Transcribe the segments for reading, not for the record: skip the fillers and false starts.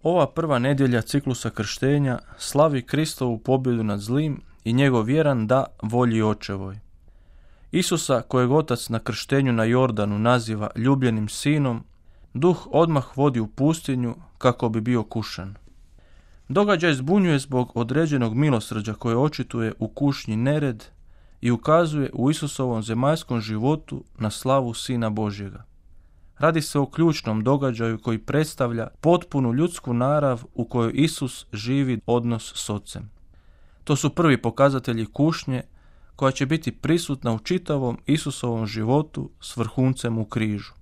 Ova prva nedjelja ciklusa krštenja slavi Kristovu pobjedu nad zlim i njegov vjeran da volji očevoj. Isusa, kojeg otac na krštenju na Jordanu naziva ljubljenim sinom, duh odmah vodi u pustinju kako bi bio kušan. Događaj zbunjuje zbog određenog milosrđa koje očituje u kušnji nered i ukazuje u Isusovom zemaljskom životu na slavu Sina Božjega. Radi se o ključnom događaju koji predstavlja potpunu ljudsku narav u kojoj Isus živi odnos s Ocem. To su prvi pokazatelji kušnje koja će biti prisutna u čitavom Isusovom životu s vrhuncem u križu.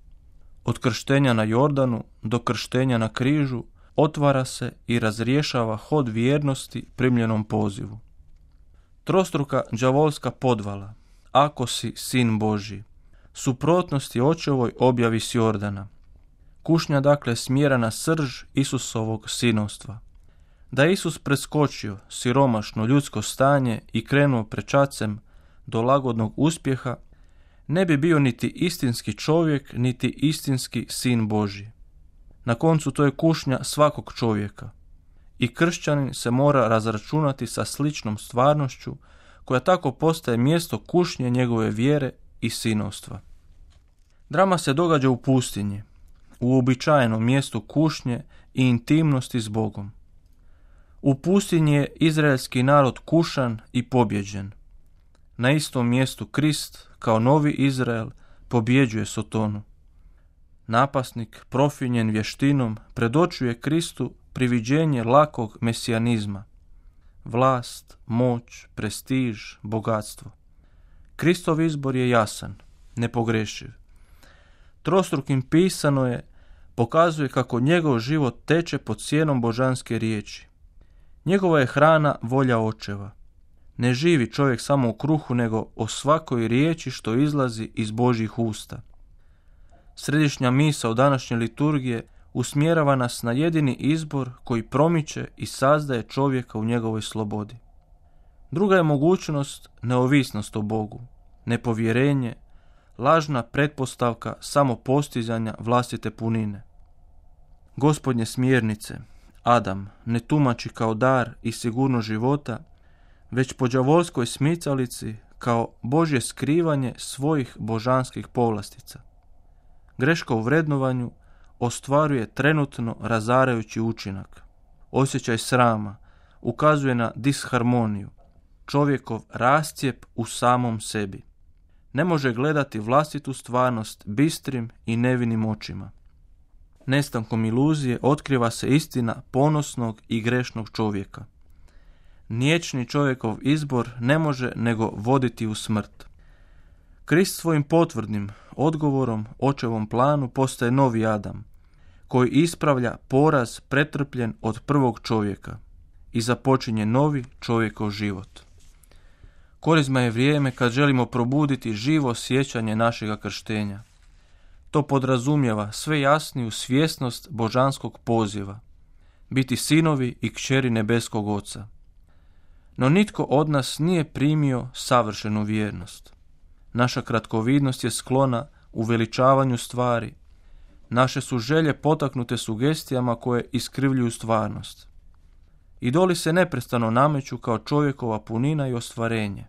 Od krštenja na Jordanu do krštenja na križu otvara se i razrješava hod vjernosti primljenom pozivu. Trostruka đavolska podvala, ako si sin Božji, suprotnosti očevoj objavi s Jordana. Kušnja dakle smjera na srž Isusovog sinovstva. Da je Isus preskočio siromašno ljudsko stanje i krenuo prečacem do lagodnog uspjeha, ne bi bio niti istinski čovjek, niti istinski sin Božji. Na koncu to je kušnja svakog čovjeka. I kršćanin se mora razračunati sa sličnom stvarnošću koja tako postaje mjesto kušnje njegove vjere i sinovstva. Drama se događa u pustinji, u uobičajenom mjestu kušnje i intimnosti s Bogom. U pustinji je izraelski narod kušan i pobjeđen. Na istom mjestu Krist, kao novi Izrael, pobjeđuje Sotonu. Napasnik, profinjen vještinom, predočuje Kristu priviđenje lakog mesijanizma. Vlast, moć, prestiž, bogatstvo. Kristov izbor je jasan, nepogrešiv. Trostrukim pisano je, pokazuje kako njegov život teče pod sjenom božanske riječi. Njegova je hrana volja očeva. Ne živi čovjek samo u kruhu, nego o svakoj riječi što izlazi iz Božjih usta. Središnja misao današnje liturgije usmjerava nas na jedini izbor koji promiče i sazdaje čovjeka u njegovoj slobodi. Druga je mogućnost neovisnost o Bogu, nepovjerenje, lažna pretpostavka samopostizanja vlastite punine. Gospodnje smjernice Adam ne tumači kao dar i sigurnost života, već po đavolskoj smicalici kao Božje skrivanje svojih božanskih povlastica. Greška u vrednovanju ostvaruje trenutno razarajući učinak. Osjećaj srama ukazuje na disharmoniju, čovjekov rascijep u samom sebi. Ne može gledati vlastitu stvarnost bistrim i nevinim očima. Nestankom iluzije otkriva se istina ponosnog i grešnog čovjeka. Niječni čovjekov izbor ne može nego voditi u smrt. Krist svojim potvrdnim odgovorom očevom planu postaje novi Adam, koji ispravlja poraz pretrpljen od prvog čovjeka i započinje novi čovjekov život. Korizma je vrijeme kad želimo probuditi živo sjećanje našega krštenja. To podrazumijeva sve jasniju svjesnost božanskog poziva, biti sinovi i kćeri nebeskog Oca. No nitko od nas nije primio savršenu vjernost. Naša kratkovidnost je sklona uveličavanju stvari. Naše su želje potaknute sugestijama koje iskrivljuju stvarnost. Idoli se neprestano nameću kao čovjekova punina i ostvarenje.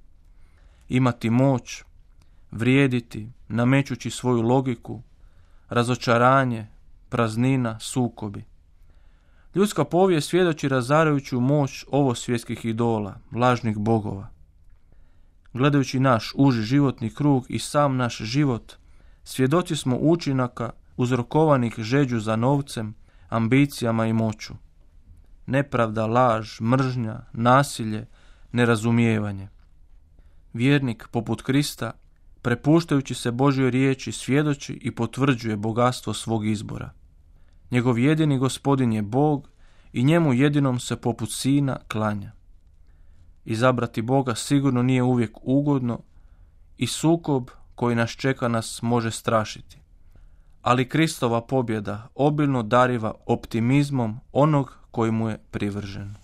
Imati moć, vrijediti, namećući svoju logiku, razočaranje, praznina, sukobi. Ljudska povijest svjedoči razarajuću moć ovosvjetskih idola, lažnih bogova. Gledajući naš uži životni krug i sam naš život, svjedoci smo učinaka uzrokovanih žeđu za novcem, ambicijama i moću. Nepravda, laž, mržnja, nasilje, nerazumijevanje. Vjernik, poput Krista, prepuštajući se Božjoj riječi, svjedoči i potvrđuje bogatstvo svog izbora. Njegov jedini Gospodin je Bog i njemu jedinom se poput sina klanja. Izabrati Boga sigurno nije uvijek ugodno i sukob koji nas čeka nas može strašiti. Ali Kristova pobjeda obilno dariva optimizmom onog koji mu je privržen.